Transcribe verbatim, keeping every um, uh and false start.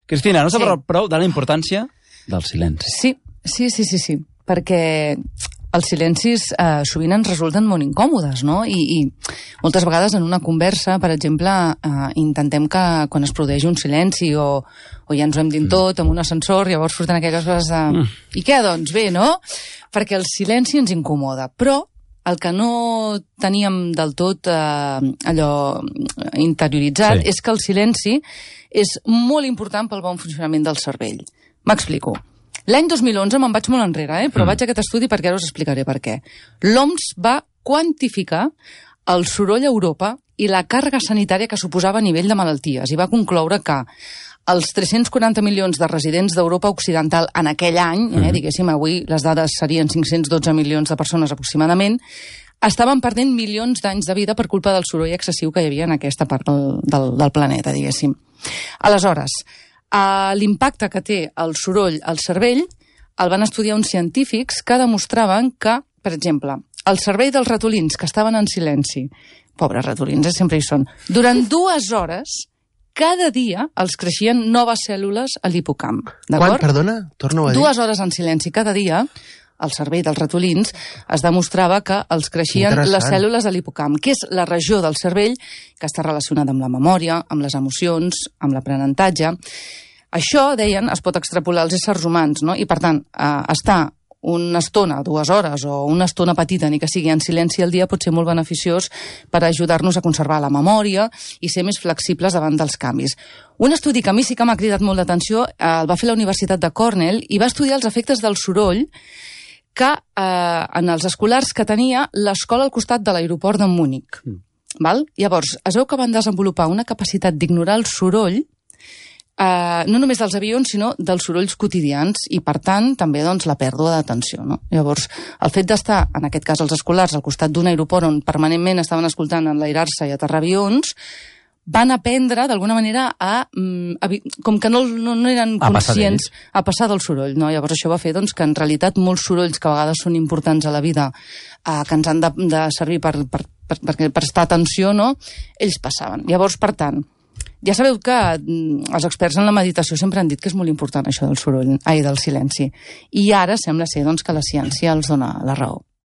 Cristina, no s'ha parlat prou de la importància del silenci. Sí, sí, sí, sí, sí. perquè els silencis eh, sovint ens resulten molt incòmodes, no? I, i moltes vegades en una conversa, per exemple, eh, intentem que quan es produeix un silenci o, o ja ens ho hem dit tot amb un ascensor, llavors surten aquelles coses de... Mm. I què, doncs? Bé, no? Perquè el silenci ens incomoda, però el que no teníem del tot eh, allò interioritzat sí. és que el silenci és molt important pel bon funcionament del cervell. M'explico. L'any dos mil onze, me'n vaig molt enrere, eh? però mm. vaig a aquest estudi perquè ara us explicaré per què. L'O M S va quantificar el soroll a Europa i la càrrega sanitària que suposava a nivell de malalties i va concloure que els tres-cents quaranta milions de residents d'Europa Occidental en aquell any, eh, mm. diguéssim, avui les dades serien cinc-cents dotze milions de persones aproximadament, estaven perdent milions d'anys de vida per culpa del soroll excessiu que hi havia en aquesta part del, del, del planeta, diguéssim. Aleshores, Uh, l'impacte que té el soroll al cervell el van estudiar uns científics que demostraven que, per exemple, el cervell dels ratolins que estaven en silenci, pobres ratolins, eh, sempre hi són, durant dues hores, cada dia els creixien noves cèl·lules a l'hipocamp. Quan, perdona? Torno a dir. Dues hores en silenci cada dia, el cervell dels ratolins, es demostrava que els creixien les cèl·lules de l'hipocamp, que és la regió del cervell que està relacionada amb la memòria, amb les emocions, amb l'aprenentatge. Això, deien, es pot extrapolar als éssers humans, no? I, per tant, eh, estar una estona, dues hores o una estona petita, ni que sigui en silenci al dia, pot ser molt beneficiós per ajudar-nos a conservar la memòria i ser més flexibles davant dels canvis. Un estudi que a mi sí que m'ha cridat molt d'atenció eh, el va fer la Universitat de Cornell i va estudiar els efectes del soroll que eh, en els escolars que tenia l'escola al costat de l'aeroport de Múnich. Mm. Val? Llavors, es veu que van desenvolupar una capacitat d'ignorar el soroll, eh, no només dels avions, sinó dels sorolls quotidians, i per tant també doncs, la pèrdua d'atenció. No? Llavors, el fet d'estar, en aquest cas els escolars, al costat d'un aeroport on permanentment estaven escoltant enlairar-se i aterrar avions, van aprendre, d'alguna manera, a, a com que no, no, no eren a conscients a passar del soroll. No? Llavors això va fer doncs, que en realitat molts sorolls que a vegades són importants a la vida, eh, que ens han de, de servir per, per, per, per prestar atenció, no? Ells passaven. Llavors, per tant, ja sabeu que els experts en la meditació sempre han dit que és molt important això del soroll, ai, del silenci. I ara sembla ser doncs, que la ciència els dona la raó.